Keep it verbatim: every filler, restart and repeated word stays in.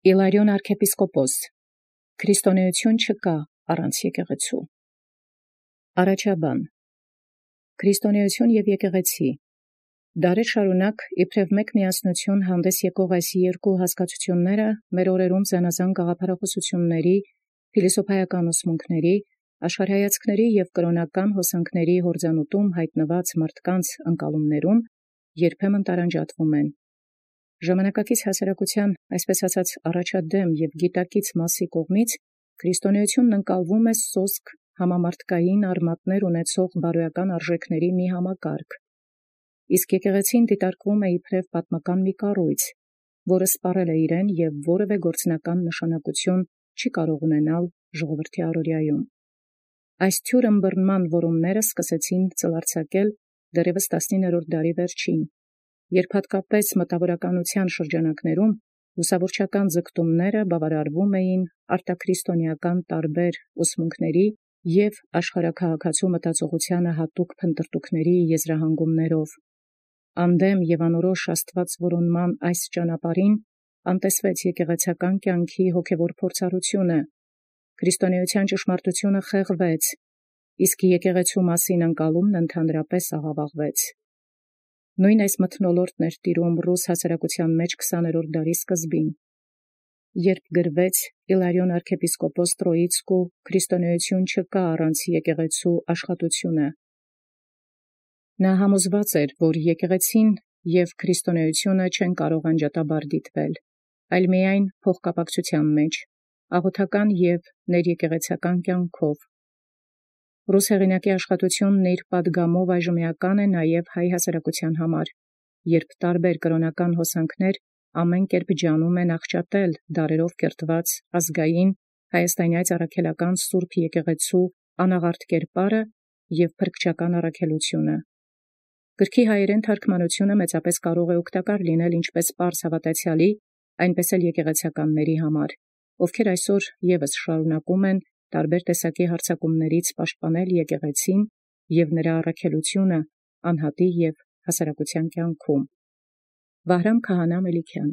Իլարիոն arczepiskopos Քրիստոնեություն չկա առանց եկեղեցու։ Առաջաբան Քրիստոնեություն և եկեղեցի դարեր շարունակ իբրև մեկ միասնություն հանդես եկող այս երկու հասկացությունները մեր օրերում զանազան գաղափարախոսությունների, փիլիսոփայական ուսմունքների, աշխարհայացքների և կրոնական հոսանքների հորձանուտում հայտնված մարդկանց ընկալումներում երբեմն տարանջատվում են։ Ժամանակակից հասարակության, այսպես ասած, առաջադեմ և գիտակից մասի կողմից քրիստոնեությունն ընկալվում է սոսկ համամարտկային արմատներ ունեցող բարոյական արժեքների մի համակարգ, իսկ եկեղեցին դիտարկվում է իբրև պատմական մի կառույց, որը սպառել է իրեն և որևէ գործնական նշանակություն չի կարող ունենալ ժողովրդի առօրյայում։ Այս թյուր ըմբռնման որումները սկսեցին ծլարձակել դեռևս տասնիններորդ դարի վերջին, երբ հատկապես մտավորականության շրջանակներում լուսավորչական ձգտումները բավարարվում էին արտաքրիստոնեական տարբեր ուսմունքների և աշխարհաքաղաքացու մտածողությանը հատուկ փնտրտուքների եզրահանգումներով։ Անդեմ և անորոշ աստվածորոնման այս ճանապարհին անտեսվեց եկեղեցական կյանքի հոգևոր փորձառությունը, քրիստոնեության ճշմարտությունը խեղվեց, իսկ եկեղեցու մասին ընկալումն ընդհանրապես աղավաղվեց։ Նույն այս մթնոլորտն էր տիրում ռուս հասարակության մեջ քսաներորդ դարի սկզբին, երբ գրվեց Իլարիոն arczepiskopos Տրոիցկու «Քրիստոնեություն չկա առանց եկեղեցու» աշխատությունը։ Նա համոզված էր, որ եկեղեցին և քրիստոնեությունը չեն կարող անջատաբար դիտվել, այլ միայն փոխկապակցության մեջ, աղոթական և ներեկեղեցական կյանքով։ Ռուս հեղինակի աշխատությունն իր պատգամով այժմեական է նաև հայ հասարակության համար, երբ տարբեր կրոնական հոսանքներ ամեն կերպ ջանում են աղճատել դարերով կերտված ազգային հայաստանյաց առաքելական սուրբ եկեղեցու անաղարտ կերպարը և փրկչական առաքելությունը։ Գրքի հայերեն թարգմանությունը մեծապես կարող է օգտակար լինել ինչպես պարզ հավատացյալի, այնպես էլ եկեղեցականների համար, ովքեր այսօր ևս շարունակում են տարբեր տեսակի հարձակումներից պաշտպանել եկեղեցին և նրա առաքելությունը անհատի և հասարակության կյանքում։ Վահրամ Քահանա Մելիքյան։